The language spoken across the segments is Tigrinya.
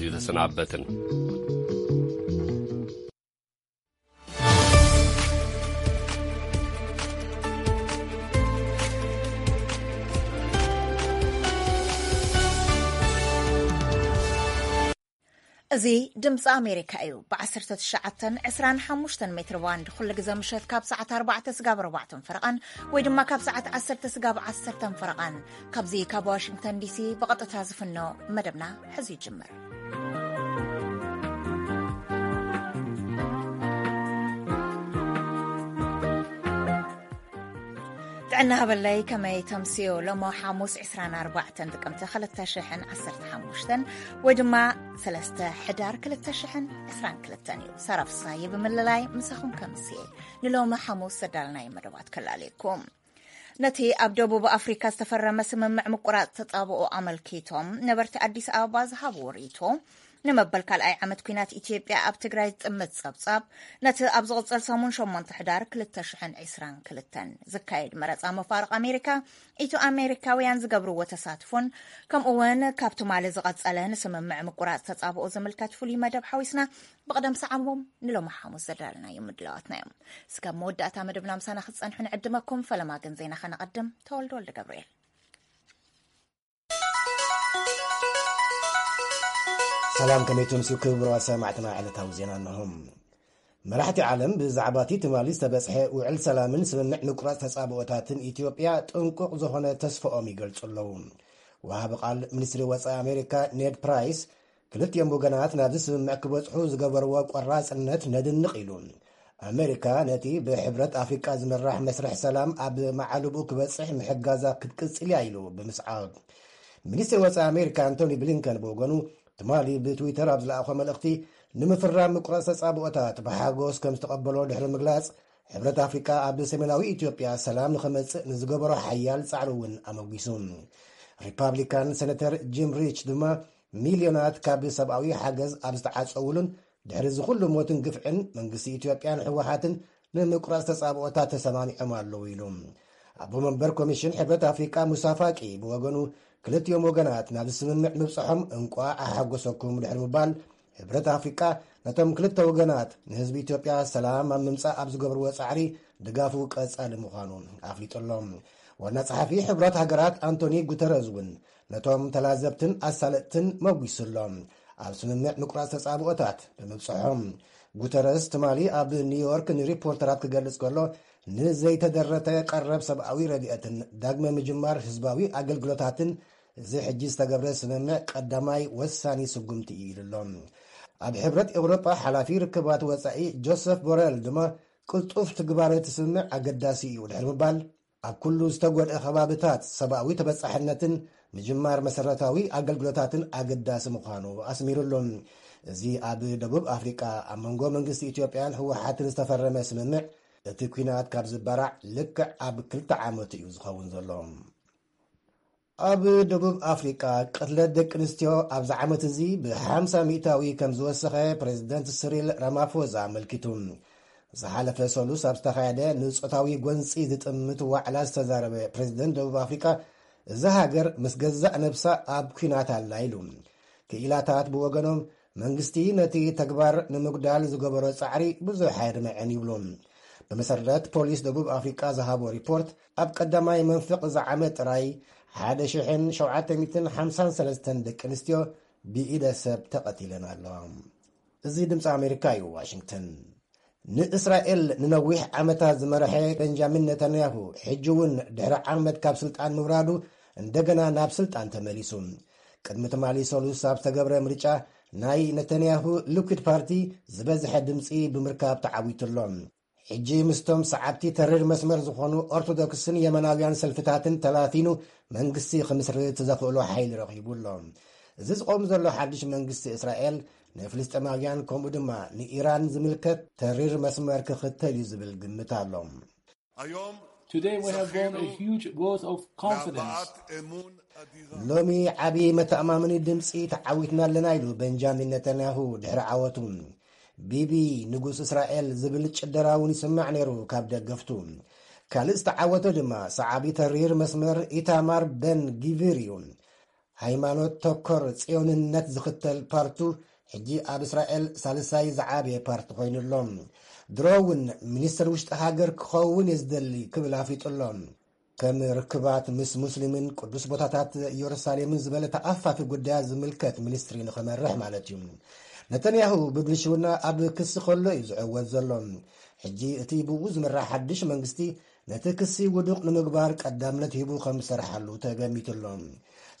ዝተሰናበትን። እዚ ድምፂ ኣሜሪካ እዩ። ብ19፣ 25 ሜትር ባንድ ኩሉ ግዜ ምሸት ካብ ሰዓት ኣርባዕተ ስጋብ ኣርባዕተ ፈረቓን ወይ ድማ ካብ ሰዓት ዓሰርተ ስጋብ ዓሰርተ ፈረቓን ካብዚ ካብ ዋሽንግተን ዲሲ ብቐጥታ ዝፍኖ መደብና ሕዚ ይጅምር። ጥዕና ሃበለይ፣ ከመይ ተምስዮ? ሎሞ ሓሙስ ዕስራን ኣርባዕተን ጥቅምቲ ክልተ ሽሕን ዓሰርተ ሓሙሽተን ወይ ድማ ሰለስተ ሕዳር ክልተ ሽሕን ዕስራን ክልተን እዩ። ሳራ ፍሳየ ብምልላይ ምሳኹም ከምስየ ንሎሚ ሓሙስ ዘዳልናይ መደባት ከላለየኩም። ነቲ ኣብ ደቡብ ኣፍሪካ ዝተፈረመ ስምምዕ ምቁራጽ ተጻብኦ ኣመልኪቶም ነበርቲ ኣዲስ ኣበባ ዝሃብዎ ርእይቶ፣ ንመበል ካልኣይ ዓመት ኲናት ኢትዮጵያ ኣብ ትግራይ ዝጥምት ጸብጻብ፣ ነቲ ኣብ ዝቕጽል ሰሙን ሸሞንተ ሕዳር ክልተ ሽሕን ዕስራን ክልተን ዝካየድ መረጻ መፋርቕ ኣሜሪካ፣ ኢትዮ ኣሜሪካውያን ዝገብርዎ ተሳትፎን፣ ከምኡ እውን ካብ ትማሊ ዝቐጸለ ንስምምዕ ምቁራጽ ተጻብኦ ዝምልከት ፍሉይ መደብ ሓዊስና ብቕደም ሰዓቦም ንሎሚ ሓሙስ ዘዳለናዮም ምድላዋትና እዮም። እስከ መወዳእታ መደብና ምሳና ክትጸንሑ ንዕድመኩም። ፈለማ ግን ዜና ከነቐድም። ተወልደ ወልደ ገብርኤል። ሰላም፣ ከመይ ትምስዩ ክቡራት ሰማዕትና? ዕለታዊ ዜና እንሆ። መራሕቲ ዓለም ብዛዕባ እቲ ትማሊ ዝተበጽሐ ውዕል ሰላምን ስምምዕ ምቁራጽ ተጻብኦታትን ኢትዮጵያ ጥንቁቕ ዝኾነ ተስፋኦም ይገልጹ ኣለዉ። ወሃቢ ቃል ሚኒስትሪ ወጻኢ ኣሜሪካ ኔድ ፕራይስ፣ ክልቲኦም ወገናት ናብዚ ስምምዕ ክበጽሑ ዝገበርዎ ቆራጽነት ነድንቕ ኢሉ። ኣሜሪካ ነቲ ብሕብረት ኣፍሪቃ ዝምራሕ መስርሕ ሰላም ኣብ መዓልብኡ ክበጽሕ ምሕጋዛ ክትቅጽል እያ ኢሉ ብምስዓብ። ሚኒስትሪ ወጻኢ ኣሜሪካ ኣንቶኒ ብሊንከን ብወገኑ፣ ትማሊ ብትዊተር ኣብ ዝለኣኾ መልእኽቲ፣ ንምፍራም ምቁራጽ ተጻብኦታት ብሓጎስ ከም ዝተቐበሎ ድሕሪ ምግላጽ፣ ሕብረት ኣፍሪቃ ኣብ ሰሜናዊ ኢትዮጵያ ሰላም ንኸመጽእ ንዝገበሮ ሓያል ጻዕሪ እውን ኣመጒሱ። ሪፓብሊካን ሴነተር ጂም ሪች ድማ፣ ሚልዮናት ካብ ሰብኣዊ ሓገዝ ኣብ ዝተዓጸውሉን ድሕሪ እዚ ኩሉ ሞትን ግፍዕን መንግስቲ ኢትዮጵያን ህወሓትን ንምቁራጽ ተጻብኦታት ተሰማሚዖም ኣለዉ ኢሉ። ኣቦ መንበር ኮሚሽን ሕብረት ኣፍሪቃ ሙሳ ፋቂ ብወገኑ፣ ክልቲኦም ወገናት ናብ ስምምዕ ምብጽሖም እንቋዕ ኣሓጎሰኩም ድሕሪ ምባል፣ ሕብረት ኣፍሪቃ ነቶም ክልተ ወገናት ንህዝቢ ኢትዮጵያ ሰላም ኣብ ምምጻእ ኣብ ዝገብርዎ ጻዕሪ ድጋፉ ቀጻሊ ምዃኑ ኣፍሊጡ ኣሎ። ዋና ጸሓፊ ሕቡራት ሃገራት ኣንቶኒ ጉተረዝ እውን ነቶም ተላዘብትን ኣሳለጥትን መጒሱ ኣሎ፣ ኣብ ስምምዕ ምቁራጽ ተጻብኦታት ብምብጽሖም። ጉተረዝ ትማሊ ኣብ ኒውዮርክ ንሪፖርተራት ክገልጽ ከሎ፣ ንዘይተደረተ ቀረብ ሰብኣዊ ረድኤትን ዳግመ ምጅማር ህዝባዊ ኣገልግሎታትን እዚ ሕጂ ዝተገብረ ስምምዕ ቀዳማይ ወሳኒ ስጉምቲ እዩ ኢሉ ኣሎ። ኣብ ሕብረት ኤውሮጳ ሓላፊ ርክባት ወጻኢ ጆሰፍ ቦረል ድማ፣ ቅልጡፍ ትግባረ እቲ ስምምዕ ኣገዳሲ እዩ ድሕሪ ምባል፣ ኣብ ኩሉ ዝተጎድአ ከባብታት ሰብኣዊ ተበጻሕነትን ምጅማር መሰረታዊ ኣገልግሎታትን ኣገዳሲ ምዃኑ ኣስሚሩሉ። እዚ ኣብ ደቡብ ኣፍሪቃ ኣብ መንጎ መንግስቲ ኢትዮጵያን ህወሓትን ዝተፈረመ ስምምዕ፣ እቲ ኲናት ካብ ዝበራዕ ልክዕ ኣብ ክልተ ዓመቱ እዩ ዝኸውን ዘሎ። ኣብ ደቡብ ኣፍሪቃ ቅትለት ደቂ ኣንስትዮ ኣብዚ ዓመት እዚ ብ50% ከም ዝወሰኸ ፕሬዚደንት ስሪል ራማፎዛ ኣመልኪቱ። ዝሓለፈ ሰሉስ ኣብ ዝተኻየደ ንጾታዊ ጎንጺ ዝጥምት ዋዕላ ዝተዛረበ ፕሬዚደንት ደቡብ ኣፍሪቃ፣ እዛ ሃገር ምስ ገዛእ ነብሳ ኣብ ኲናት ኣላ ኢሉ። ክኢላታት ብወገኖም፣ መንግስቲ ነቲ ተግባር ንምጉዳል ዝገበሮ ጻዕሪ ብዙሕ ኣየድምዕን ይብሉ። ብመሰረት ፖሊስ ደቡብ ኣፍሪቃ ዝሃቦ ሪፖርት፣ ኣብ ቀዳማይ መንፍቕ እዚ ዓመት ጥራይ ሓደ ሽሕን ሸውዓተ ሚእትን ሓምሳን ሰለስተን ደቂ ኣንስትዮ ብኢደ ሰብ ተቐቲለን ኣለዋ። እዚ ድምፂ ኣሜሪካ እዩ፣ ዋሽንግተን። ንእስራኤል ንነዊሕ ዓመታት ዝመርሐ ቤንጃሚን ነታንያሁ፣ ሕጂ እውን ድሕሪ ዓመት ካብ ስልጣን ምውራዱ፣ እንደገና ናብ ስልጣን ተመሊሱ። ቅድሚ ትማሊ ሰሉስ ኣብ ዝተገብረ ምርጫ፣ ናይ ነታንያሁ ሊኩድ ፓርቲ ዝበዝሐ ድምፂ ብምርካብ ተዓዊቱ ኣሎ። ሕጂ ምስቶም ሰዓብቲ ተሪር መስመር ዝኾኑ ኦርቶዶክስን የመናውያን ሰልፍታትን ተላቲኑ መንግስቲ ክምስርት ዘኽእሎ ሓይሊ ረኺቡ ኣሎ። እዚ ዝቆም ዘሎ ሓድሽ መንግስቲ እስራኤል ንፍልስጤማውያን ከምኡ ድማ ንኢራን ዝምልከት ተሪር መስመር ክኽተል እዩ ዝብል ግምት ኣሎ። Today we have won a huge vote of confidence. ሎሚ ዓቢ መተኣማመኒ ድምፂ ተዓዊትና ኣለና ኢሉ ቤንጃሚን ነታንያሁ ድሕሪ ዓወቱ። ቢቢ ንጉስ እስራኤል ዝብል ጭደራ እውን ይስማዕ ነይሩ ካብ ደገፍቱ። ካልእ ዝተዓወተ ድማ ሰዓቢ ተሪር መስመር ኢታማር በን ጊቪር እዩ። ሃይማኖት ተኮር ጽዮንነት ዝኽተል ፓርቱ ሕጂ ኣብ እስራኤል ሳልሳይ ዝዓበየ ፓርቲ ኮይኑ ኣሎ። ድሮ እውን ሚኒስትር ውሽጢ ሃገር ክኸውን እየ ዝደሊ ክብል ኣፍሊጡ ኣሎ። ከም ርክባት ምስ ሙስሊምን ቅዱስ ቦታታት ኢየሩሳሌምን ዝበለ ተኣፋፊ ጉዳያት ዝምልከት ሚኒስትሪ ንኽመርሕ ማለት እዩ። ነተንያሁ ብብልሽውና ኣብ ክሲ ከሎ እዩ ዝዕወት ዘሎ። ሕጂ እቲ ብኡ ዝምራሕ ሓድሽ መንግስቲ ነቲ ክሲ ውዱቕ ንምግባር ቀዳምነት ሂቡ ከም ዝሰርሓሉ ተገሚቱ ኣሎ።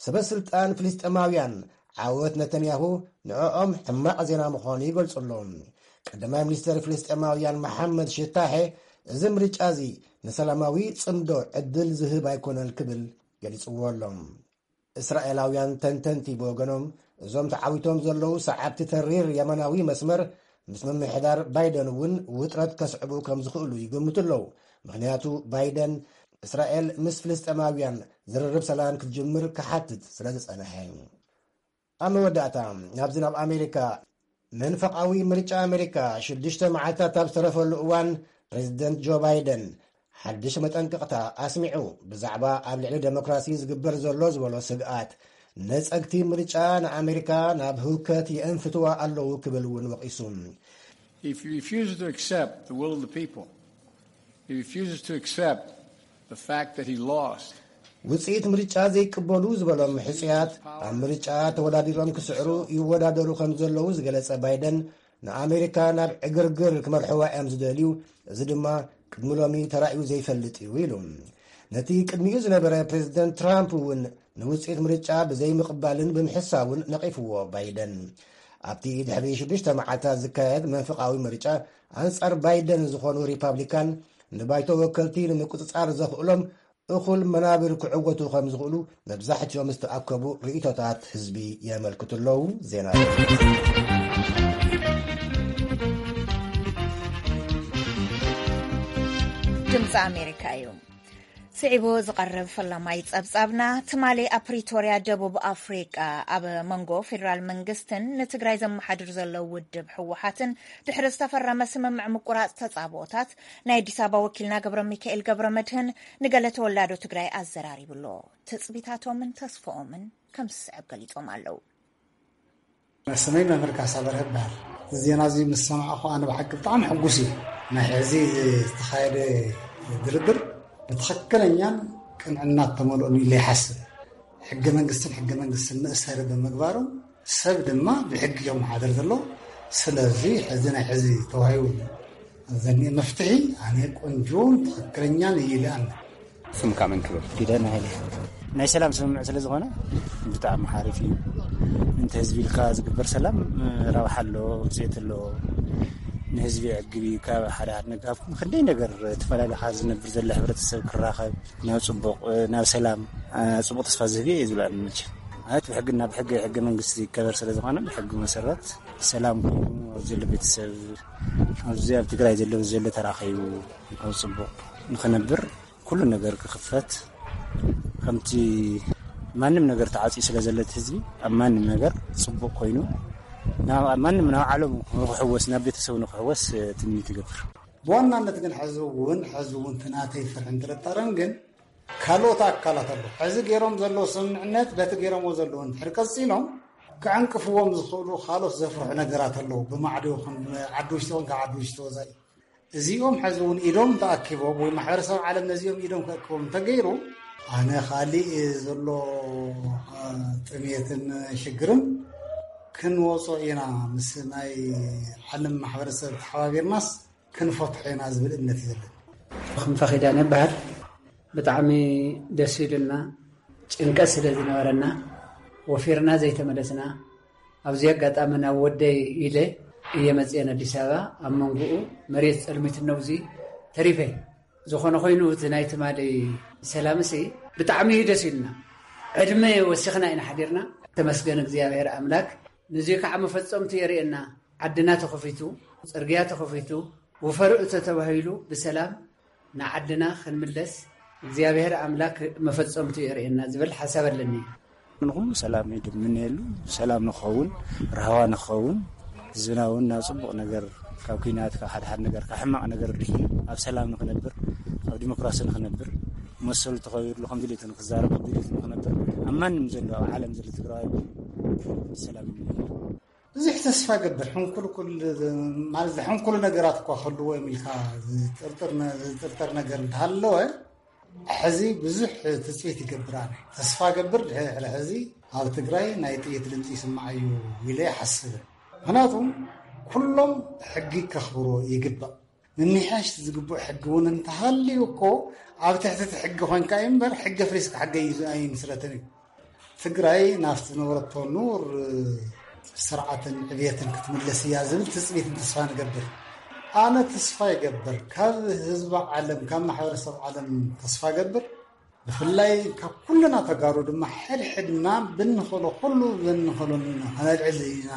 ሰበ ስልጣን ፍልስጤማውያን ዓወት ነተንያሁ ንዕኦም ሕማቕ ዜና ምዃኑ ይገልጹ ኣለዉ። ቀዳማይ ሚኒስትር ፍልስጤማውያን መሓመድ ሽታሐ፣ እዚ ምርጫ እዚ ንሰላማዊ ጽምዶ ዕድል ዝህብ ኣይኮነን ክብል ገሊጽዎ ኣሎ። እስራኤላውያን ተንተንቲ ብወገኖም፣ እዞም ተዓዊቶም ዘለዉ ሰዓብቲ ተሪር የመናዊ መስመር ምስ ምምሕዳር ባይደን እውን ውጥረት ከስዕቡ ከም ዝኽእሉ ይግምቱ ኣለዉ። ምኽንያቱ ባይደን እስራኤል ምስ ፍልስጤማውያን ዝርርብ ሰላም ክትጅምር ክሓትት ስለ ዝጸንሐ። ኣብ መወዳእታ፣ ናብዚ ናብ ኣሜሪካ፣ መንፈቓዊ ምርጫ ኣሜሪካ ሽዱሽተ መዓልታት ኣብ ዝተረፈሉ እዋን፣ ፕሬዚደንት ጆ ባይደን ሓድሽ መጠንቀቕታ ኣስሚዑ። ብዛዕባ ኣብ ልዕሊ ዴሞክራሲ ዝግበር ዘሎ ዝበሎ ስግኣት፣ ነጸግቲ ምርጫ ንኣሜሪካ ናብ ህውከት የእንፍትዋ ኣለዉ ክብል እውን ወቒሱ። If he refuses to accept the will of the people, he refuses to accept the fact that he lost. ውጽኢት ምርጫ ዘይቅበሉ ዝበሎም ሕጹያት ኣብ ምርጫ ተወዳዲሮም ክስዕሩ ይወዳደሩ ከም ዘለዉ ዝገለጸ ባይደን፣ ንኣሜሪካ ናብ ዕግርግር ክመርሕዋ እዮም ዝደልዩ፣ እዚ ድማ ቅድሚ ሎሚ ተራእዩ ዘይፈልጥ እዩ ኢሉ። ነቲ ቅድሚኡ ዝነበረ ፕሬዚደንት ትራምፕ እውን ንውጽኢት ምርጫ ብዘይምቕባልን ብምሕሳውን ነቒፍዎ ባይደን። ኣብቲ ድሕሪ ሽዱሽተ መዓልታት ዝካየድ መንፈቓዊ ምርጫ፣ ኣንጻር ባይደን ዝኾኑ ሪፓብሊካን ንባይቶ ወከልቲ ንምቁጽጻር ዘኽእሎም እኹል መናብር ክዕወቱ ከም ዝኽእሉ መብዛሕትኦም ዝተኣከቡ ርእይቶታት ህዝቢ የመልክቱ ኣለዉ። ዜና ድምፂ ኣሜሪካ እዩ። ስዒቡ ዝቐርብ ፈላማይ ጸብጻብና፣ ትማሊ ኣብ ፕሪቶርያ ደቡብ ኣፍሪቃ ኣብ መንጎ ፌዴራል መንግስትን ንትግራይ ዘመሓድር ዘሎ ውድብ ህወሓትን ድሕሪ ዝተፈረመ ስምምዕ ምቁራጽ ተጻብኦታት፣ ናይ ኣዲስ ኣበባ ወኪልና ገብረ ሚካኤል ገብረ መድህን ንገለ ተወላዶ ትግራይ ኣዘራሪቡ ኣሎ። ትጽቢታቶምን ተስፍኦምን ከም ዝስዕብ ገሊጾም ኣለዉ። ስመይ መምህር ካሳ በርሀ ይበሃል። እዚ ዜና እዚ ምስ ሰማዕኹ ኣነ ብሓቂ ብጣዕሚ ሕጉስ እዩ። ናይ ሕዚ ዝተኻየደ ድርድር ብትኽክለኛን ቅንዕና እተመልኦን ኢለ ይሓስብ። ሕገ መንግስትን ሕገ መንግስትን መእሰሪ ብምግባሮም ሰብ ድማ ብሕጊ እዮም መሓደር ዘሎ። ስለዚ ሕዚ ናይ ሕዚ ተዋሂቡ ዘኒኤ መፍትሒ ኣነ ቆንጆን ትኽክለኛን እዩ ኢለ ኣምነ። ስምካ መን ክብል? ፊደን ሃይለ። ናይ ሰላም ስምምዕ ስለ ዝኾነ ብጣዕሚ ሓሪፍ እዩ። እንተ ህዝቢ ኢልካ ዝግበር ሰላም ረብሓ ኣለዎ፣ ውፅኢት ኣለዎ። ንህዝቢ የዕግብ እዩ። ካብ ሓደ ሓደ ነገር፣ ካብ ክንደይ ነገር ተፈላለኻ ዝነብር ዘሎ ሕብረተሰብ ክራኸብ ናብ ፅቡቕ፣ ናብ ሰላም፣ አ፣ ፅቡቕ ተስፋ ዝህብ እዩ ዝብል ኣነ መቸም። ማለት ብሕግና ብሕገ ሕገ መንግስቲ ይከበር ስለ ዝኾነ ብሕጊ መሰረት ሰላም ኮይኑ ኣብ ዘሎ ቤተሰብ ኣብዚ ኣብ ትግራይ ዘሎ ዘሎ ተራኸቡ ኣብ ፅቡቕ ንኽነብር ኩሉ ነገር ክኽፈት ከምቲ ማንም ነገር ተዓፅዩ ስለ ዘሎ እቲ ህዝቢ ኣብ ማንም ነገር ፅቡቕ ኮይኑ ናብ ኣብ ማንም ናብ ዓለም ንክሕወስ ናብ ቤተሰቡ ንክሕወስ ትምኒት ይገብር። ብዋናነት ግን ሕዚ እውን ሕዚ እውን እቲ ናተይ ፍርሕን ጥርጣረን ግን ካልኦት ኣካላት ኣለዉ። ሕዚ ገይሮም ዘለዉ ስምምዕነት በቲ ገይሮምዎ ዘለዉ እንድሕር ቀፂሎም ክዕንቅፍዎም ዝኽእሉ ካልኦት ዘፍርሑ ነገራት ኣለዉ። ብማዕዶ ይኹን ዓዲ ውሽጢ ይኹን ካብ ዓዲ ውሽጢ ወፃኢ እዚኦም ሕዚ እውን ኢዶም ተኣኪቦም ወይ ማሕበረሰብ ዓለም ነዚኦም ኢዶም ከእክቦም እንተገይሩ ኣነ ካሊእ ዘሎ አ፣ ጥሜትን ሽግርን ክንወፆ ኢና ምስ ናይ ዓለም ማሕበረሰብ ተሓባቢርናስ ክንፈትሖ ኢና ዝብል እምነት እዩ ዘለኒ። ክንፈ ኪዳነ ይበሃል። ብጣዕሚ ደስ ኢሉና፣ ጭንቀት ስለ ዝነበረና ወፊርና ዘይተመለስና። ኣብዚ ኣጋጣሚ ናብ ወደይ ኢለ እየ መፅኤን ኣዲስ ኣበባ ኣብ መንጎኡ መሬት ፀልሚትኖ ኣብዚ ተሪፈ። ዝኾነ ኮይኑ እቲ ናይ ትማሊ ሰላምሲ ብጣዕሚ እዩ ደስ ኢሉና። ዕድመ ወሲኽና ኢና ሓዲርና። ተመስገን እግዚኣብሔር ኣምላክ። ንዚ ከዓ መፈፀምቱ የርእየና። ዓድና ተኸፊቱ፣ ፅርግያ ተኸፊቱ፣ ውፈሩ እተ ተባሂሉ ብሰላም ንዓድና ክንምለስ እግዚኣብሔር ኣምላክ መፈጸምቱ የርእየና ዝብል ሓሳብ ኣለኒ። ንኹሉ ሰላም እዩ ድምነየሉ፣ ሰላም ንኸውን፣ ራህዋ ንኸውን፣ ህዝብና እውን ናብ ጽቡቕ ነገር፣ ካብ ኲናት፣ ካብ ሓደ ሓደ ነገር፣ ካብ ሕማቕ ነገር ድሕኑ ኣብ ሰላም ንኽነብር፣ ኣብ ዲሞክራሲ ንኽነብር መሰሉ ተኸቢርሉ፣ ከም ድሌቱ ንክዛረብ፣ ከም ድሌቱ ንክነብር፣ ኣብ ማንም ዘሎ፣ ኣብ ዓለም ዘሎ ትግራዋይ ሰላም ይመኛል። ብዙሕ ተስፋ ገብር፣ ሕንኩልኩል፣ ማለት ዘሕንኩሉ ነገራት እኳ ክህልዎ እዮም ኢልካ ዝጥርጥር ነ-፣ ዝጥርጠር ነገር እንተሃለወ፣ ሕዚ ብዙሕ ትጽቢት ይገብር። ኣነ ተስፋ ገብር፣ ድሕሪ ሕዚ ኣብ ትግራይ ናይ ጥይት ድምፂ ይስማዕ እዩ ኢለ ይሓስብን። ምክንያቱም ኩሎም ሕጊ ከኽብሮ ይግባእ። ምምሕያሽ ዝግብኦ ሕጊ እውን እንተሃልዩ እኮ፣ ኣብ ትሕቲ እቲ ሕጊ ኮንካ እዩ እምበር፣ ሕጊ ኣፍሪስካ ሕጊ ኣይምስረትን እዩ። ትግራይ ናብቲ ዝነበረቶ ንቡር ስርዓትን ዕብየትን ክትምለስ እያ ዝብል ትጽቢትን ተስፋ ንገብር። ኣነ ተስፋ ይገብር፣ ካብ ህዝቢ ዓለም፣ ካብ ማሕበረሰብ ዓለም ተስፋ ገብር። ብፍላይ ካብ ኩልና ተጋሩ ድማ፣ ሕድሕድና ብንኽእሎ ኩሉ፣ ብንኽእሎ ከነልዕል ኢና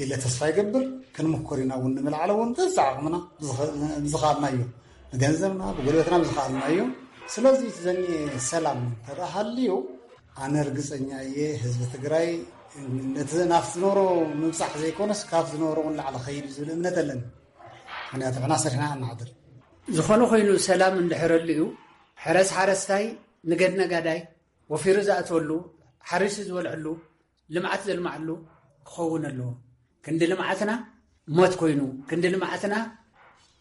ኢለ ተስፋ ይገብር። ክንምኮር ኢና እውን፣ ንምልዓል እውን በዛ ዓቕምና ብዝኸ-፣ ብዝኸኣልናዮ፣ ብገንዘብና፣ ብጉልበትና ብዝኸኣልናዮ። ስለዚ እቲ ዘኒኤ ሰላም እንተደኣ ሃልዩ፣ ኣነ ርግጸኛ እየ፣ ህዝቢ ትግራይ ነቲ ናብቲ ዝነበሮ ምብጻሕ ዘይኮነስ፣ ካብ ዝነበሮ እውን ላዕሊ ኸይድ እዩ ዝብል እምነት ኣለኒ። ምክንያቱ ንሕና ሰሪሕና ኢና ንሓድር። ዝኾነ ኮይኑ፣ ሰላም እንድሕረሉ እዩ፣ ሕረስ ሓረስታይ፣ ንገድ ነጋዳይ ወፊሩ ዝኣትወሉ፣ ሓሪሱ ዝበልዐሉ፣ ልምዓት ዘልምዓሉ ክኸውን ኣለዎ። ክንዲ ልምዓትና ሞት ኮይኑ፣ ክንዲ ልምዓትና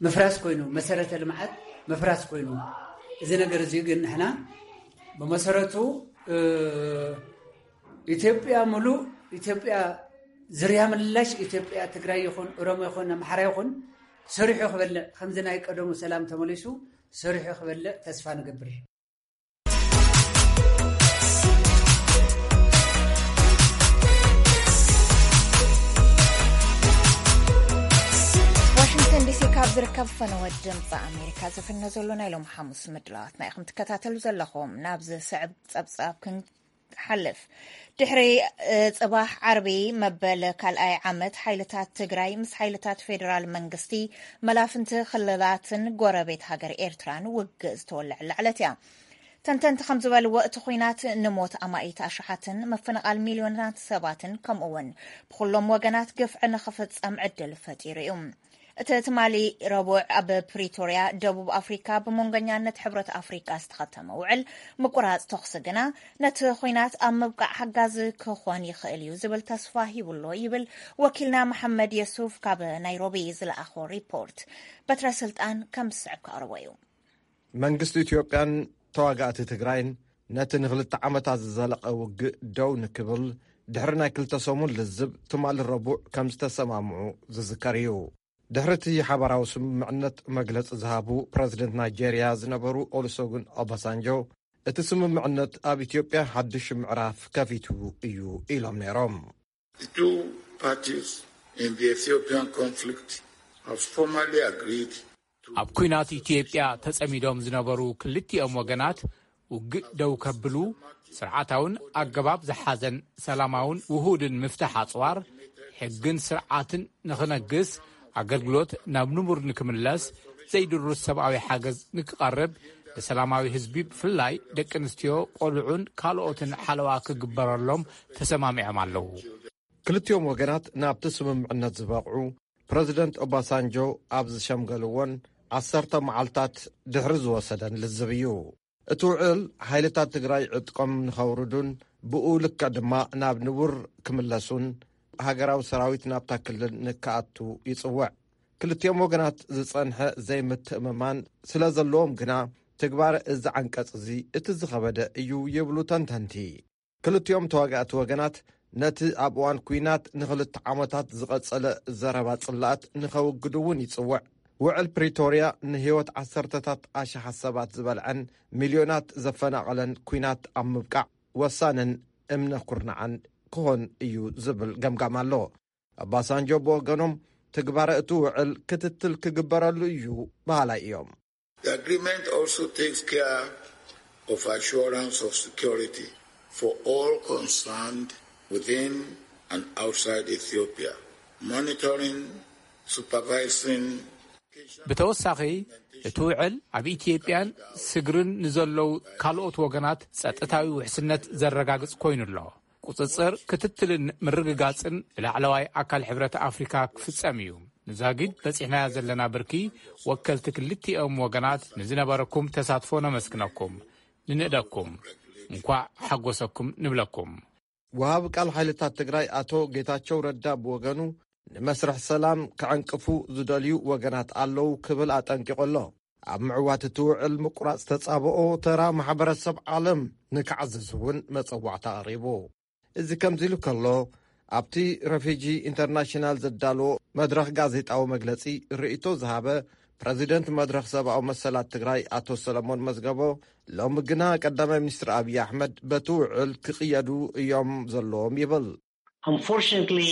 ምፍራስ ኮይኑ፣ መሰረተ ልምዓት ምፍራስ ኮይኑ፣ እዚ ነገር እዚ ግን ንሕና ብመሰረቱ፣ እ፣ ኢትዮጵያ ሙሉእ፣ ኢትዮጵያ ዝርያ ምላሽ ኢትዮጵያ፣ ትግራይ ይኹን፣ ኦሮሞ ይኹን፣ ኣምሓራ ይኹን፣ ሰሪሑ ክበልዕ፣ ከምዚ ናይ ቀደሙ ሰላም ተመሊሱ ሰሪሑ ክበልዕ ተስፋ ንገብር። ዋሽንግተን ዲሲ ካብ ዝርከብ ፈነወ ድምፂ ኣሜሪካ ዝፍኖ ዘሎ ናይ ሎም ሓሙስ ምድላዋትና ኢኹም ትከታተሉ ዘለኹም። ናብ ዝስዕብ ጸብጻብ ክንሓልፍ፣ ድሕሪ፣ እ፣ ጽባሕ ዓርቢ መበል ካልኣይ ዓመት ሓይልታት ትግራይ ምስ ሓይልታት ፌደራል መንግስቲ፣ መላፍንቲ ክልላትን ጎረቤት ሃገር ኤርትራን ውግእ ዝተወለዐላ ዕለት እያ። ተንተንቲ ከም ዝበልዎ፣ እቲ ኲናት ንሞት ኣማኢት ኣሽሓትን ምፍንቓል ሚልዮናት ሰባትን፣ ከምኡ እውን ብኹሎም ወገናት ግፍዒ ንኽፍጸም ዕድል ፈጢሩ እዩ። እቲ ትማሊ ረቡዕ ኣብ ፕሪቶርያ፣ ደቡብ ኣፍሪካ፣ ብመንጎኛነት ሕብረት ኣፍሪካ ዝተኸተመ ውዕል ምቁራጽ ተኹሲ ግና፣ ነቲ ኲናት ኣብ ምብቃዕ ሓጋዚ ክኾን ይኽእል እዩ ዝብል ተስፋ ሂቡሎ ይብል ወኪልና መሓመድ የሱፍ ካብ ናይሮቢ ዝለኣኾ ሪፖርት። በትረ ስልጣን ከም ዝስዕብ ክቕርቦ እዩ። መንግስቲ ኢትዮጵያን ተዋጋእቲ ትግራይን ነቲ ንክልተ ዓመታት ዝዘለቐ ውግእ ደው ንክብል ድሕሪ ናይ ክልተ ሰሙን ልዝብ ትማሊ ረቡዕ ከም ዝተሰማምዑ ዝዝከር እዩ። ድሕሪ እቲ ሓባራዊ ስምምዕነት መግለጺ ዝሃቡ ፕረዚደንት ናይጄርያ ዝነበሩ ኦሉሰጉን ኦባሳንጆ፣ እቲ ስምምዕነት ኣብ ኢትዮጵያ ሓድሽ ምዕራፍ ከፊቱ እዩ ኢሎም ነይሮም። The two parties in the Ethiopian conflict have formally agreed to ኣብ ኲናት ኢትዮጵያ ተጸሚዶም ዝነበሩ ክልቲኦም ወገናት ውግእ ደው ከብሉ፣ ስርዓታውን ኣገባብ ዝሓዘን ሰላማውን ውሁድን ምፍታሕ ኣጽዋር፣ ሕግን ስርዓትን ንኽነግስ፣ ኣገልግሎት ናብ ንቡር ንክምለስ፣ ዘይድሩስ ሰብኣዊ ሓገዝ ንክቐርብ፣ ንሰላማዊ ህዝቢ ብፍላይ ደቂ ኣንስትዮ፣ ቆልዑን ካልኦትን ሓለዋ ክግበረሎም ተሰማሚዖም ኣለዉ። ክልቲኦም ወገናት ናብቲ ስምምዕነት ዝበቕዑ ፕረዚደንት ኦባሳንጆ ኣብ ዝሸምገልዎን ዓሰርተ መዓልታት ድሕሪ ዝወሰደን ልዝብ እዩ። እቲ ውዕል ሓይልታት ትግራይ ዕጥቆም ንኸውርዱን ብኡ ልክዕ ድማ ናብ ንቡር ክምለሱን ሃገራዊ ሰራዊት ናብታ ክልል ንክኣቱ ይጽውዕ። ክልቲኦም ወገናት ዝጸንሐ ዘይምትእምማን ስለ ዘለዎም ግና ትግባረ እዚ ዓንቀጽ እዚ እቲ ዝኸበደ እዩ ይብሉ ተንተንቲ። ክልቲኦም ተዋጋእቲ ወገናት ነቲ ኣብ እዋን ኲናት ንኽልተ ዓመታት ዝቐጸለ ዘረባ ጽላኣት ንኸውግዱ እውን ይጽውዕ። ውዕል ፕሪቶርያ ንህይወት ዓሰርተታት ኣሽሓት ሰባት ዝበልዐን ሚልዮናት ዘፈናቐለን ኲናት ኣብ ምብቃዕ ወሳንን እምነ ኩርናዓን ክኾን እዩ ዝብል ገምጋም ኣሎ። ኣባሳንጆ ብወገኖም ትግባረ እቲ ውዕል ክትትል ክግበረሉ እዩ በሃላይ እዮም። The agreement also takes care of assurance of security for all concerned within and outside Ethiopia, monitoring, supervising. ብተወሳኺ እቲ ውዕል ኣብ ኢትዮጵያን ስግርን ንዘለዉ ካልኦት ወገናት ጸጥታዊ ውሕስነት ዘረጋግጽ ኮይኑ ኣሎ። ቁጽጽር፣ ክትትልን ምርግጋጽን ብላዕለዋይ ኣካል ሕብረት ኣፍሪካ ክፍጸም እዩ። ንዛጊድ በጺሕናያ ዘለና ብርኪ ወከልቲ ክልቲኦም ወገናት ንዝነበረኩም ተሳትፎ ነመስግነኩም፣ ንንእደኩም፣ እንኳዕ ሓጎሰኩም ንብለኩም። ወሃቢ ቃል ሓይልታት ትግራይ ኣቶ ጌታቸው ረዳ ብወገኑ፣ ንመስርሕ ሰላም ክዕንቅፉ ዝደልዩ ወገናት ኣለዉ ክብል ኣጠንቂቑ ኣሎ። ኣብ ምዕዋት እቲ ውዕል ምቁራጽ ተጻብኦ ተራ ማሕበረሰብ ዓለም ንክዓዝዝ እውን መጸዋዕታ ኣቕሪቡ። እዚ ከምዚ ኢሉ ከሎ፣ ኣብቲ ረፊጂ ኢንተርናሽናል ዘዳለዎ መድረኽ ጋዜጣዊ መግለጺ ርእይቶ ዝሃበ ፕረዚደንት መድረኽ ሰብኣዊ መሰላት ትግራይ ኣቶ ሰለሞን መዝገቦ፣ ሎሚ ግና ቀዳማይ ሚኒስትር ኣብይ ኣሕመድ በቲ ውዕል ክቕየዱ እዮም ዘለዎም ይብል። Unfortunately,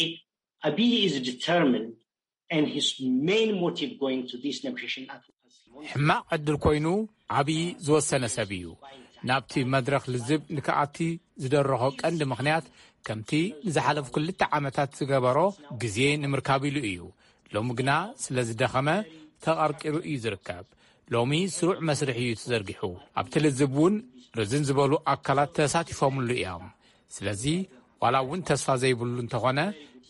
Abiy is determined, and his main motive going to this negotiation at ሕማቕ ዕድል ኮይኑ፣ ኣብይ ዝወሰነ ሰብ እዩ። ናብቲ መድረኽ ልዝብ ንክኣቲ ዝደረኾ ቀንዲ ምኽንያት፣ ከምቲ ንዝሓለፉ ክልተ ዓመታት ዝገበሮ፣ ግዜ ንምርካብ ኢሉ እዩ። ሎሚ ግና ስለ ዝደኸመ፣ ተቐርቂሩ እዩ ዝርከብ። ሎሚ ስሩዕ መስርሕ እዩ ተዘርጊሑ። ኣብቲ ልዝብ እውን ርዝን ዝበሉ ኣካላት ተሳቲፎምሉ እዮም። ስለዚ ዋላ እውን ተስፋ ዘይብሉ እንተኾነ፣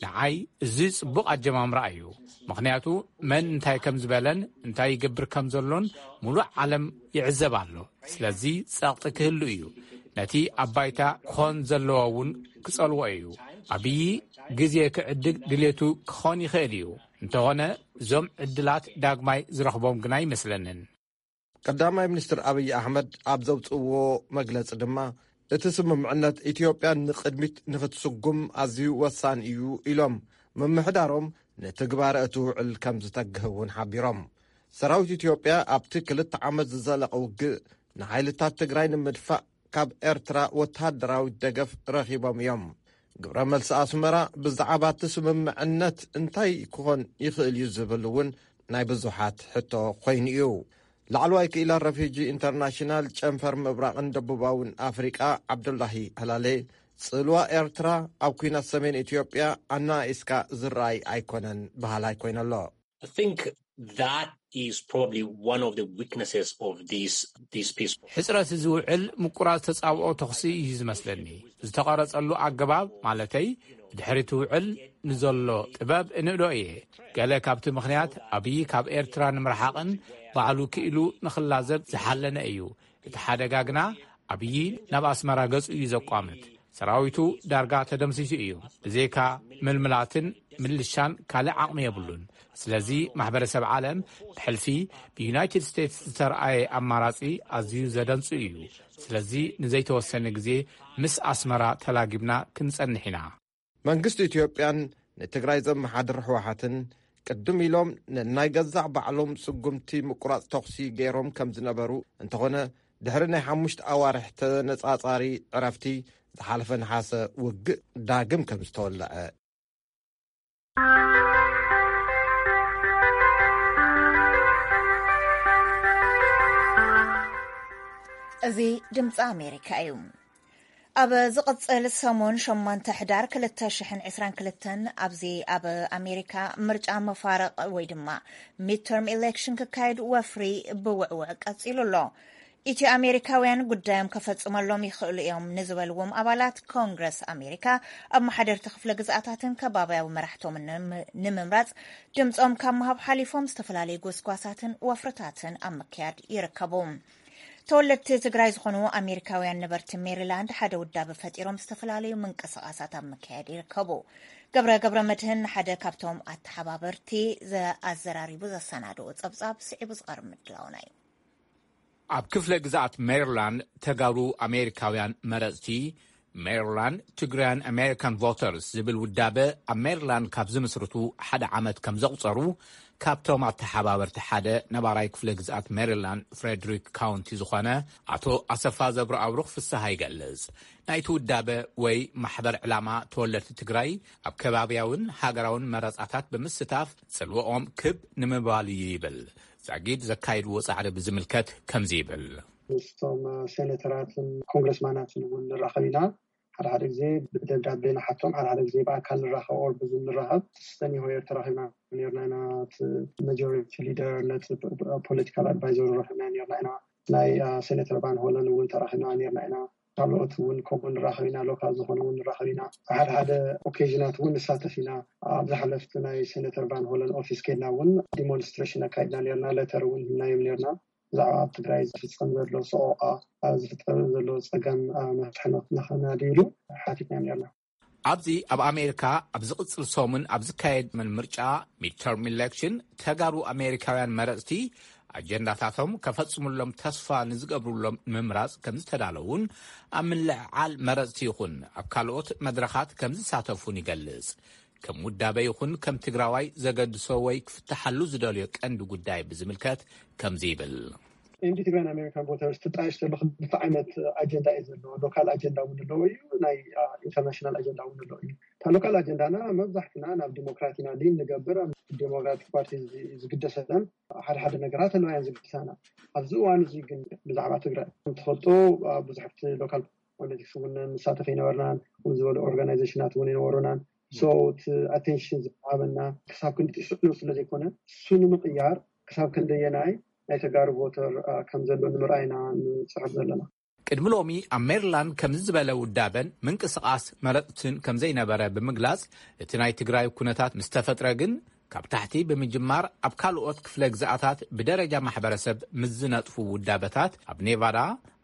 ንዓይ እዚ ጽቡቕ ኣጀማምራ እዩ። ምኽንያቱ መን እንታይ ከም ዝበለን እንታይ ይገብር ከም ዘሎን ሙሉእ ዓለም ይዕዘብ ኣሎ። ስለዚ ጸቕጢ ክህሉ እዩ። ነቲ ኣብ ባይታ ክኾን ዘለዎ እውን ክጸልዎ እዩ። ኣብይ ግዜ ክዕድግ ድሌቱ ክኾን ይኽእል እዩ። እንተኾነ እዞም ዕድላት ዳግማይ ዝረኽቦም ግና ኣይመስለንን። ቀዳማይ ሚኒስትር ኣብይ ኣሕመድ ኣብ ዘውፅእዎ መግለፂ ድማ፣ እቲ ስምምዕነት ኢትዮጵያ ንቕድሚት ንክትስጉም ኣዝዩ ወሳኒ እዩ ኢሎም፣ ምምሕዳሮም ንትግባረ እቲ ውዕል ከም ዝተግህ እውን ሓቢሮም። ሰራዊት ኢትዮጵያ ኣብቲ ክልተ ዓመት ዝዘለቐ ውግእ ንሓይልታት ትግራይ ንምድፋእ ካብ ኤርትራ ወተሃደራዊ ደገፍ ረኺቦም እዮም። ግብረ መልሲ ኣስመራ ብዛዕባ እቲ ስምምዕነት እንታይ ክኾን ይኽእል እዩ ዝብል እውን ናይ ብዙሓት ሕቶ ኮይኑ እዩ። ላዕለዋይ ክኢላ ረፊጂ ኢንተርናሽናል ጨንፈር ምብራቕን ደቡባውን ኣፍሪቃ ዓብዱላሂ ህላሌ፣ ጽልዋ ኤርትራ ኣብ ኲናት ሰሜን ኢትዮጵያ ኣናኢስካ ዝረኣይ ኣይኮነን በሃላይ ኮይነ ኣሎ። I think that is probably one of the weaknesses of this this peace process. ሕፅረት እዚ ውዕል ምቁራፅ ተፃብኦ ተኹሲ እዩ ዝመስለኒ። ዝተቐረፀሉ ኣገባብ ማለተይ ብድሕሪ እቲ ውዕል ንዘሎ ጥበብ እንእዶ እየ። ገለ ካብቲ ምኽንያት ኣብይ ካብ ኤርትራ ንምርሓቕን ባዕሉ ክኢሉ ንኽላዘብ ዝሓለነ እዩ። እቲ ሓደጋ ግና ኣብይ ናብ ኣስመራ ገፁ እዩ ዘቋምት። ሰራዊቱ ዳርጋ ተደምሲሱ እዩ። ብዘይካ ምልምላትን ምልሻን ካልእ ዓቕሚ የብሉን። ስለዚ ማሕበረሰብ ዓለም ብሕልፊ ብዩናይትድ ስቴትስ ዝተርኣየ ኣማራጺ ኣዝዩ ዘደንጹ እዩ። ስለዚ ንዘይተወሰነ ግዜ ምስ ኣስመራ ተላጊብና ክንጸንሕ ኢና። መንግስቲ ኢትዮጵያን ንትግራይ ዘመሓድር ህወሓትን ቅድም ኢሎም ንናይ ገዛእ ባዕሎም ስጉምቲ ምቁራፅ ተኹሲ ገይሮም ከም ዝነበሩ እንተኾነ፣ ድሕሪ ናይ ሓሙሽተ ኣዋርሕ ተነጻጻሪ ዕረፍቲ ዝሓለፈ ነሓሰ ውግእ ዳግም ከም ዝተወለዐ። እዚ ድምፂ ኣሜሪካ እዩ። ኣብ ዝቕፅል ሰሙን ሸሞንተ ሕዳር ክልተ ሽሕን ዕስራን ክልተን ኣብዚ ኣብ ኣሜሪካ ምርጫ መፋረቕ ወይ ድማ ሚድተርም ኢሌክሽን ክካየድ ወፍሪ ብውዕውዕ ቀፂሉ ኣሎ። ኢትዮ ኣሜሪካውያን ጉዳዮም ከፈፅመሎም ይኽእሉ እዮም ንዝበልዎም ኣባላት ኮንግረስ ኣሜሪካ ኣብ ማሕደርቲ ክፍለ ግዝኣታትን ከባብያዊ መራሕቶምን ንምምራፅ ድምፆም ካብ ምሃብ ሓሊፎም ዝተፈላለዩ ጎስጓሳትን ወፍርታትን ኣብ ምክያድ ይርከቡ። ተወለድቲ ትግራይ ዝኾኑ ኣሜሪካውያን ነበርቲ ሜሪላንድ ሓደ ውዳበ ፈጢሮም ዝተፈላለዩ ምንቅስቓሳት ኣብ ምክያድ ይርከቡ። ገብረ ገብረ መድህን ሓደ ካብቶም ኣተሓባበርቲ ኣዘራሪቡ ዘሰናድኦ ፀብፃብ ስዒቡ ዝቐርብ ምድላውና እዩ። ኣብ ክፍለ ግዝኣት ሜሪላንድ ተጋሩ ኣሜሪካውያን መረፅቲ Maryland Tigrayan American Voters ዝብል ውዳበ ኣብ ሜሪላንድ ካብ ዝምስርቱ ሓደ ዓመት ከም ዘቑፀሩ ካብቶም ኣተሓባበርቲ ሓደ ነባራይ ክፍለ ግዝኣት ሜሪላንድ ፍሬድሪክ ካውንቲ ዝኾነ ኣቶ ኣሰፋ ዘብረኣብሩኽ ፍስሃ ይገልፅ። ናይቲ ውዳበ ወይ ማሕበር ዕላማ ተወለድቲ ትግራይ ኣብ ከባብያውን ሃገራውን መረፃታት ብምስታፍ ፅልወኦም ክብ ንምባል እዩ ይብል። ዛጊድ ዘካይድዎ ፃዕሪ ብዝምልከት ከምዚ ይብል። ምስቶም ሴኔተራትን ኮንግረስማናትን እውን ንራኸብ ኢና። ሓደ ሓደ ግዜ ብደብዳቤ ንሓቶም፣ ሓደ ሓደ ግዜ ብኣካል ንራኸብ ኦር ብዙም ንራኸብ። ስተኒሆየር ተራኺብና ነርና ኢና። እቲ ማጆሪቲ ሊደር ነቲ ፖለቲካል ኣድቫይዘሩ ረኺብና ነርና ኢና። ናይ ሴኔተር ቫን ሆለን እውን ተራኺብና ነርና ኢና። ካልኦት እውን ከምኡ ንራኸብ ኢና፣ ሎካል ዝኾነ እውን ንራኸብ ኢና። ሓደ ሓደ ኦኬዥናት እውን ንሳተፍ ኢና። ኣብ ዝሓለፍቲ ናይ ሴኔተር ቫን ሆለን ኦፊስ ከድና እውን ዲሞንስትሬሽን ኣካይድና ነርና፣ ሌተር እውን ህናዮም ነርና። ብዛዕባ ኣብ ትግራይ ዝፍፀም ዘሎ ሰቆቃ፣ ዝፍፀም ዘሎ ፀገም መፍትሒ ንክናድይሉ ሓቲትናዮም ነርና። ኣብዚ ኣብ ኣሜሪካ ኣብ ዝቕፅል ሰሙን ኣብ ዝካየድ ምርጫ ሚድተርም ኢሌክሽን፣ ተጋሩ ኣሜሪካውያን መረፅቲ ኣጀንዳታቶም ከፈፅሙሎም ተስፋ ንዝገብሩሎም ምምራፅ ከም ዝተዳለውን ኣብ ምልዕዓል መረፅቲ ይኹን ኣብ ካልኦት መድረኻት ከም ዝሳተፉን ይገልፅ። ከም ውዳበ ይኹን ከም ትግራዋይ ዘገድሶ ወይ ክፍትሓሉ ዝደልዮ ቀንዲ ጉዳይ ብዝምልከት ከምዚ ይብል። ኤምዲ ትግራይን ኣሜሪካን ቮተርስ ትጣየሽ ዘሎ ክልተ ዓይነት ኣጀንዳ እዩ ዘለዎ። ሎካል ኣጀንዳ እውን ኣለዎ እዩ፣ ናይ ኢንተርናሽናል ኣጀንዳ እውን ኣለዎ እዩ። እታ ሎካል ኣጀንዳና መብዛሕትና ናብ ዲሞክራት ኢና ሊን ንገብር። ዲሞክራቲክ ፓርቲ ዝግደሰለን ሓደ ሓደ ነገራት ኣለዋ እየን ዝግድሳና። ኣብዚ እዋን እዚ ግን ብዛዕባ ትግራይ እንትፈልጦ ብዙሕ ኣብቲ ሎካል ፖለቲክስ እውን ንሳተፍ ኣይነበርናን፣ ከምኡ ዝበሉ ኦርጋናይዜሽናት እውን ኣይነበሩናን። ሶ እቲ ኣቴንሽን ዝሃበና ክሳብ ክንዲ ጥስዕኑ ስለ ዘይኮነ፣ እሱ ንምቕያር ክሳብ ክንደየናይ ናይ ተጋሩ ቮተር ከም ዘሎ ንምርኣይና ንፅዕር ዘለና። ቅድሚ ሎሚ ኣብ ሜሪላንድ ከምዚ ዝበለ ውዳበን ምንቅስቃስ መረፅትን ከም ዘይነበረ ብምግላፅ፣ እቲ ናይ ትግራይ ኩነታት ምስ ተፈጥረ ግን ካብ ታሕቲ ብምጅማር ኣብ ካልኦት ክፍለ ግዝኣታት ብደረጃ ማሕበረሰብ ምስ ዝነጥፉ ውዳበታት ኣብ ኔቫዳ፣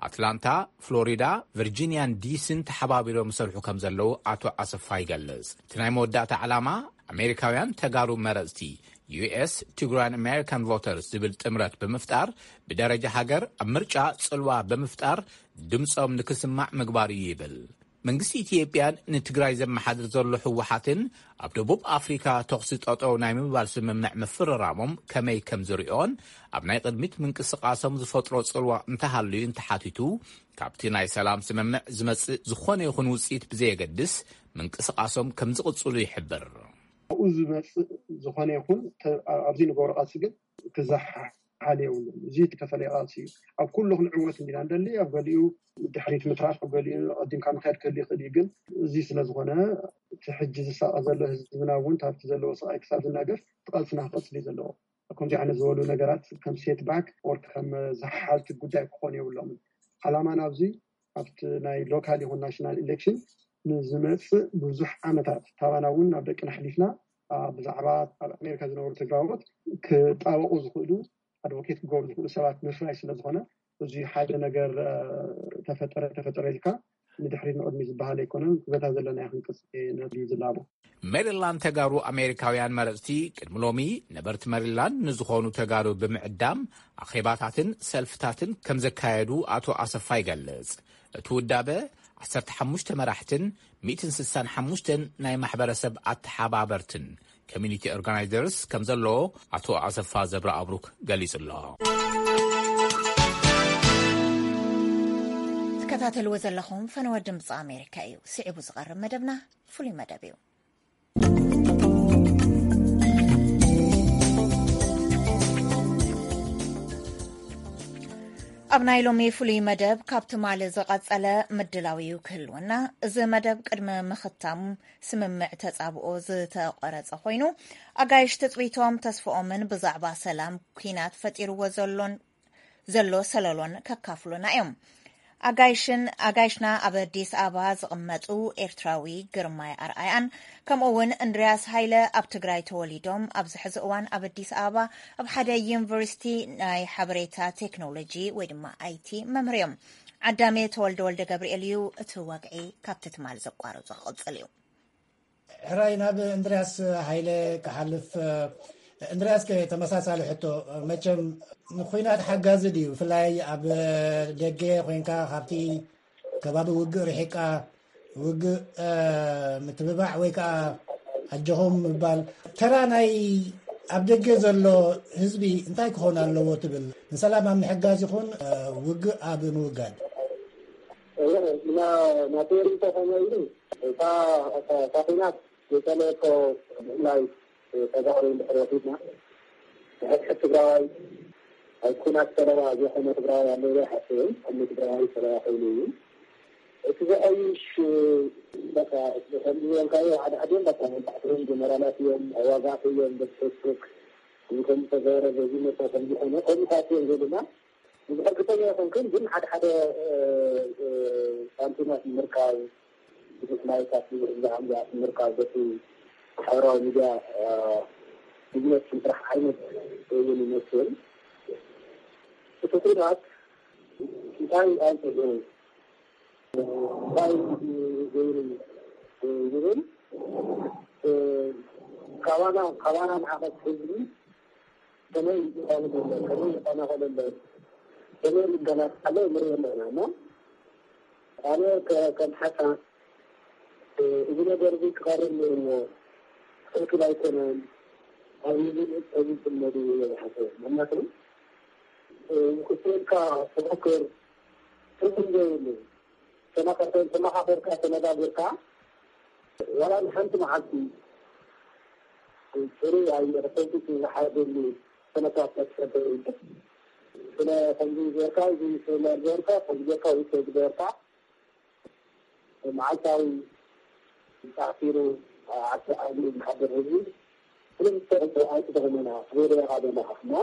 ኣትላንታ፣ ፍሎሪዳ፣ ቨርጂኒያን ዲሲን ተሓባቢሮም ይሰርሑ ከም ዘለዉ ኣቶ ኣሰፋ ይገልጽ። እቲ ናይ መወዳእታ ዕላማ ኣሜሪካውያን ተጋሩ መረጽቲ፣ ዩ ኤስ Tigrayan American Voters ዝብል ጥምረት ብምፍጣር ብደረጃ ሃገር ኣብ ምርጫ ጽልዋ ብምፍጣር ድምጾም ንክስማዕ ምግባር እዩ ይብል። መንግስቲ ኢትዮጵያን ንትግራይ ዘመሓድር ዘሎ ህወሓትን ኣብ ደቡብ ኣፍሪካ ተኹሲ ጠጠው ናይ ምባል ስምምዕ ምፍርራሞም ከመይ ከም ዝሪኦን ኣብ ናይ ቅድሚት ምንቅስቃሶም ዝፈጥሮ ጽልዋ እንተሃልዩ እንተሓቲቱ፣ ካብቲ ናይ ሰላም ስምምዕ ዝመጽእ ዝኾነ ይኹን ውፅኢት ብዘየገድስ ምንቅስቃሶም ከም ዝቕጽሉ ይሕብር። ኣብኡ ዝመፅእ ዝኾነ ይኹን ተ- ኣብዚ ንገብሮ ቃልሲ ግን ክዛሓ ሓል የብሉን። እዚ ዝተፈለየ ቃልሲ እዩ። ኣብ ኩሉ ክንዕወት እንዲና እንደሊ፣ ኣብ ገሊኡ ድሕሪት ምትራፍ፣ ኣብ ገሊኡ ቀዲምካ ምክያድ ክህል ይኽእል እዩ። ግን እዚ ስለ ዝኾነ እቲ ሕጂ ዝሳቐ ዘሎ ህዝብና እውን ካብቲ ዘለዎ ስቓይ ክሳብ ዝናገፍ እቲ ቃልስና ክቐፅል እዩ ዘለዎ። ከምዚ ዓይነት ዝበሉ ነገራት ከም ሴት ባክ ኦር ከም ዝሓልቲ ጉዳይ ክኾኑ የብሎምን። ዓላማና ኣብዚ ኣብቲ ናይ ሎካል ይኹን ናሽናል ኢሌክሽን ንዝመፅእ ብዙሕ ዓመታት ታባና እውን ናብ ደቅና ኣሕሊፍና ብዛዕባ ኣብ ኣሜሪካ ዝነበሩ ትግራዎት ክጣበቑ ዝኽእሉ ኣድቮኬት ክገብሩ ዝኽእሉ ሰባት ምፍራይ ስለ ዝኾነ፣ እዚ ሓደ ነገር ተፈጠረ ተፈጠረ ኢልካ ንድሕሪት ንቕድሚ ዝበሃል ኣይኮነን። በታ ዘለና ክንቅፅል ነድዩ ዝላቦ። ሜሪላንድ ተጋሩ ኣሜሪካውያን መረፅቲ ቅድሚ ሎሚ ነበርቲ ሜሪላንድ ንዝኾኑ ተጋሩ ብምዕዳም ኣኼባታትን ሰልፍታትን ከም ዘካየዱ ኣቶ ኣሰፋ ይገልጽ። እቲ ውዳበ ዓሰርተ ሓሙሽተ መራሕትን ሚእትን ስሳን ሓሙሽተን ናይ ማሕበረሰብ ኣተሓባበርትን ኮሚኒቲ ኦርጋናይዘርስ ከም ዘለዎ ኣቶ ኣሰፋ ዘብረ ኣብሩክ ገሊጹ ኣሎ። ትከታተልዎ ዘለኹም ፈነወ ድምፂ ኣሜሪካ እዩ። ስዒቡ ዝቐርብ መደብና ፍሉይ መደብ እዩ። ኣብ ናይ ሎሚ ፍሉይ መደብ ካብ ትማሊ ዝቐጸለ ምድላው እዩ ክህልወና። እዚ መደብ ቅድሚ ምኽታም ስምምዕ ተጻብኦ ዝተቆረጸ ኮይኑ፣ ኣጋይሽ ትጽቢቶም ተስፍኦምን ብዛዕባ ሰላም ኲናት ፈጢርዎ ዘሎን ዘሎ ሰለሎን ከካፍሉና እዮም። ኣጋይሽን ኣጋይሽና ኣብ ኣዲስ ኣበባ ዝቕመጡ ኤርትራዊ ግርማይ ኣርኣያን ከምኡ እውን እንድርያስ ሃይለ ኣብ ትግራይ ተወሊዶም ኣብዚ ሕዚ እዋን ኣብ ኣዲስ ኣበባ ኣብ ሓደ ዩኒቨርሲቲ ናይ ሓበሬታ ቴክኖሎጂ ወይ ድማ ኣይቲ መምህር እዮም። ዓዳሜ ተወልደ ወልደ ገብርኤል እዩ። እቲ ወግዒ ካብቲ ትማል ዘቋረጾ ክቕጽል እዩ። ሕራይ ናብ እንድርያስ ሃይለ ክሓልፍ። እንድርያስ ከ ተመሳሳሊ ሕቶ፣ መቸም ንኩናት ሓጋዚ ድዩ? ብፍላይ ኣብ ደገ ኮይንካ ካብቲ ከባቢ ውግእ ርሒቃ ውግእ ምትብባዕ ወይ ከዓ ኣጆኹም ምባል ተራ ናይ ኣብ ደገ ዘሎ ህዝቢ እንታይ ክኾን ኣለዎ ትብል? ንሰላም ኣብ ምሕጋዝ ይኹን ውግእ ኣብ ምውጋድ? ናተይ ርእይቶ ከመይ ኢሉ እታ ኩናት የጸለየቶ ብፍላይ ተጋሩ እንድሕር ወሲድና ንሕድሕድ ትግራዋይ ኣብ ኩናት ሰለባ ዘይኮነ ትግራዋይ ኣሎ ኢለ ኣይሓስብን። ኩሉ ትግራዋይ ሰለባ ኮይኑ እዩ። እቲ ዘሐይሽ በቃ ከምዚ ዝበልካዮ ሓደ ሓዲኦም በቃ መብዛሕትኦም ጀነራላት እዮም፣ ኣዋጋእቲ እዮም፣ በቲ ፌስቡክ ከምዚ ተገበረ በዚ መፀ ከምዚ ኮነ ከምኡታት እዮም ዝብሉና። እርግጠኛ ኣይኮንኩን፣ ግን ሓደ ሓደ ሳንቲማት ምርካብ፣ ብዙሕ ላይካት፣ ብዙሕ ዝዓምዛት ምርካብ በቲ ማሕበራዊ ሚድያ ቢዝነስ ስራሕ ዓይነት እውን ይመስል። እቲ ኩናት እንታይ ኣንፅኡ እንታይ ገይሩ ይብል፣ ካባና ካባና ንዓቐት ህዝቢ ከመይ ይዛረብ ኣሎ፣ ከመይ ይኸናኸል ኣሎ፣ ከመይ ይገላጽ ኣሎ ንርኢ ኣለና። እሞ ኣነ ከም ሓሳብ እዚ ነገር እዚ ክቐርብ ነይርዎ፣ ትኽክል ኣይኮነን ኣብ ዝብል እዚ ዝመዱ እየ ዝሓስብ። ምክንያቱ ክስልካ ተፈክር ትርጉም ዘይብሉ ተመኻኸርካ ተነጋገርካ ዋላ ንሓንቲ መዓልቲ ፅሩይ ኣየር ፈንቲቱ ዝሓደሉ ኩነታት መፍጠር ስለ ከምዚ ገርካ እዚ ስለ ገርካ ከምዚ ገርካ ውሰ ዝገርካ መዓልታዊ ተኣሲሩ ዓዲ ዓዲ ዝሓደር ህዝቢ ክልተ ኣይትጠቕመና ትበለካ ዘለካ እና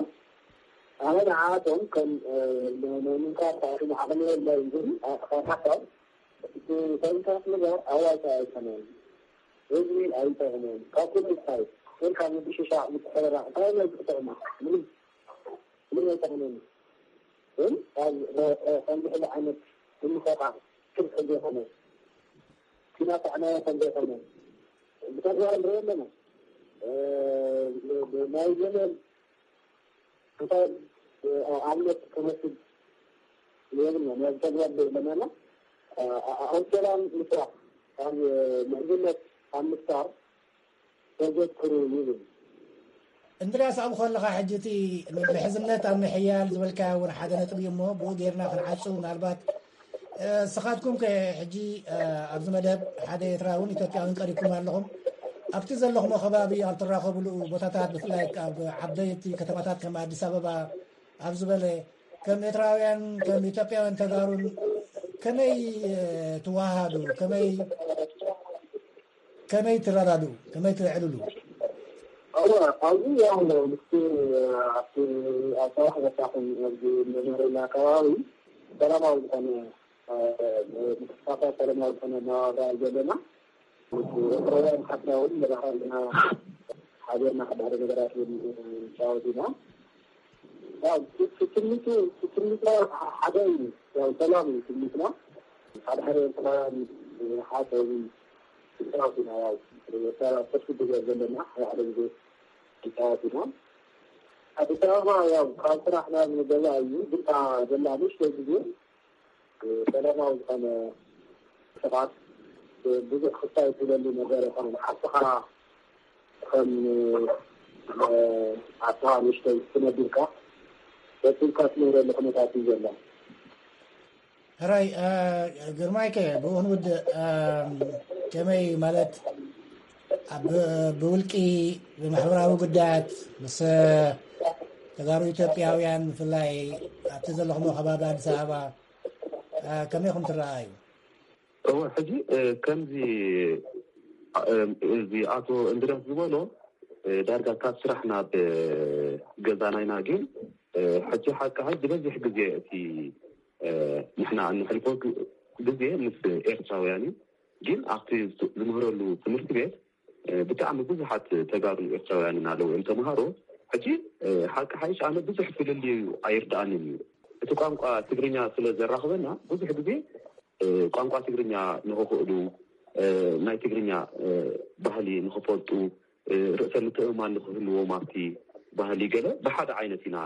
ኣነ ንዓቶም ከም ናይ ምንካር ታሪም ዓቕሚ የለን ግን ካብ ሓሳብ ሰንታት ምግባር ኣዋፃ ኣይኮነን። ህዝቢ ኣይጠቕመን። ካብ ኩሉ እንታይ ግን ካብ ምብሽሻ ምትሕርራቕ እንታይ ናይ ዝጠቕማ ምንም ምንም ኣይጠቕመን። ግን ካብ ከምዚ ዓይነት ምምሰቃ ክልተ ዘይኮነ ክናጣዕናዮ ከም ዘይኮነ ብተግባር ንሪኦ ኣለና። ናይ ዘመን እንታይ ኣብነት ክመስል የብልና ናይ ተግባር ለመና ኣብ ሰላም ምስራሕ ኣብ ምዕዝነት ኣብ ምስታር ተዘክሩ ይብል። እንድርያስ ኣብኡ ከለኻ ሕጂ እቲ ምሕዝነት ኣብ ምሕያል ዝበልካዮ እውን ሓደ ነጥቢ እዩ እሞ ብኡ ጌርና ክንዓጹ ምናልባት ስኻትኩም ከ ሕጂ ኣብዚ መደብ ሓደ ኤርትራውን ኢትዮጵያውን ቀሪብኩም ኣለኹም ኣብቲ ዘለኹሞ ከባቢ ኣብ ትራኸብሉ ቦታታት ብፍላይ ኣብ ዓበይቲ ከተማታት ከም ኣዲስ ኣበባ ኣብ ዝበለ ከም ኤርትራውያን ከም ኢትዮጵያውያን ተጋሩን ከመይ ትዋሃዱ ከመይ ከመይ ትረዳድኡ ከመይ ትዕልሉ ኣብዚ ያው ምስቲ ኣብቲ ኣባራሕ በታኹም ኣብዚ መምህርና ከባቢ ሰላማዊ ዝኾነ ምክስፋታ ሰላማዊ ዝኾነ ናዋጋ ዘለና ኤርትራውያን ሓትና እውን መራኸብና ሓቢርና ሓደ ሓደ ነገራት እውን ጫወት ኢና። ትምኒቱ ትምኒትና ሓደ እዩ። ያው ሰላም እዩ ትምኒትና። ሓደ ሓደ ኤርትራውያን ሓሳዊ ይጫወት ኢና። ያው ኤርትራ ሰፊ ግዜ ዘለና ሓደ ሓደ ግዜ ይጫወት ኢና። ኣዲስ ኣበባ ያው ካብ ስራሕ ናብ ገዛ እዩ። ግን ዘላ ንእሽተይ ግዜ ሰላማዊ ዝኾነ ስርዓት ብዙሕ ክስታይ ትብለሉ ነገር ይኮነ ንዓስኻ ከም ዓስኻ ንእሽተይ ትነቢርካ በትልካ ትነብረሉ ኩነታት እዩ ዘሎ። ሕራይ ግርማይከ ብኡ ክንውድእ ከመይ ማለት ብውልቂ ብማሕበራዊ ጉዳያት ምስ ተጋሩ ኢትዮጵያውያን ብፍላይ ኣብቲ ዘለኹሞ ከባቢ ኣዲስ ኣበባ ከመይ ኢኹም ትረኣዩ? እወ ሕጂ ከምዚ እዚ ኣቶ እንድርያስ ዝበሎ ዳርጋ ካብ ስራሕ ናብ ገዛና ኢና ግን ሕጂ ሓቂ ሓቂ ዝበዝሕ ግዜ እቲ ንሕና እንሕልፎ ግዜ ምስ ኤርትራውያን እዩ ግን ኣብቲ ዝምህረሉ ትምህርቲ ቤት ብጣዕሚ ብዙሓት ተጋሩ ኤርትራውያንን ኣለዉ እዮም ተምሃሮ ሕጂ ሓቂ ሓይሽ ኣነ ብዙሕ ፍልልዩ ኣይርድኣንን እዩ እቲ ቋንቋ ትግርኛ ስለ ዘራኽበና ብዙሕ ግዜ ቋንቋ ትግርኛ ንኽኽእሉ ናይ ትግርኛ ባህሊ ንኽፈልጡ ርእሰ ምትእምማን ንኽህልዎም ኣብቲ ባህሊ ገለ ብሓደ ዓይነት ኢና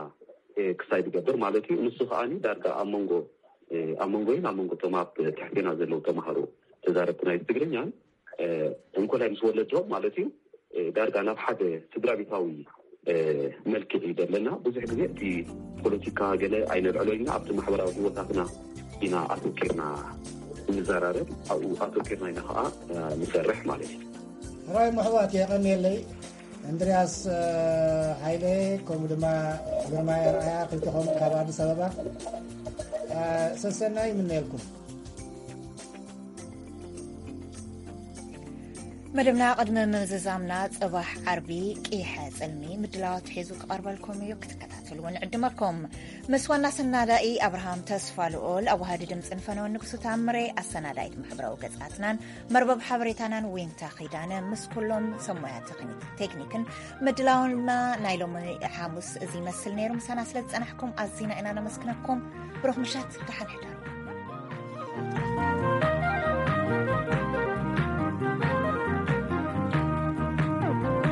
ክሳይ ዝገብር ማለት እዩ ንሱ ከዓኒ ዳርጋ ኣብ መንጎ ኣብ መንጎይን ኣብ መንጎ ቶም ኣብ ትሕቴና ዘለዉ ተምሃሮ ተዛረብቲ ናይ ትግርኛን እንኮላይ ምስ ወለዶም ማለት እዩ ዳርጋ ናብ ሓደ ስድራ ቤታዊ መልክዕ እዩ ዘለና ብዙሕ ግዜ እቲ ፖለቲካ ገለ ኣይነልዕሎ ኢና ኣብቲ ማሕበራዊ ህይወታትና ኢና ኣተኪርና እንዘራረብ ኣብኡ ኣተኪርና ኢና ከዓ ንሰርሕ ማለት እዩ ራይ ምሕዋት የቐንየለይ እንድርያስ ሃይለ ከምኡ ድማ ግርማ ኣርኣያ ክልተኹም ካብ ኣዲስ ኣበባ ሰሰናይ ይምነየልኩም መደብና ቅድሚ ምዝዛምና፣ ጽባሕ ዓርቢ ቂሐ ጽልሚ ምድላዋት ሒዙ ክቐርበልኩም እዩ፣ ክትከታተልዎ ንዕድመኩም። ምስ ዋና ሰናዳኢ ኣብርሃም ተስፋ ልኦል፣ ኣዋሃዲ ድምፅን ፈነወን ንጉሱ ታምሬ፣ ኣሰናዳኢት ማሕበራዊ ገጻትናን መርበብ ሓበሬታናን ዊንታ ኺዳነ፣ ምስ ኩሎም ሰብ ሞያ ቴክኒክ- ቴክኒክን ምድላውና ናይ ሎሚ ሓሙስ እዚ ይመስል ነይሩ። ምሳና ስለ ዝጸናሕኩም ኣዚና ኢና ነመስግነኩም። ብሩኽ ምሸት፣ ደሓን ሕደሩ።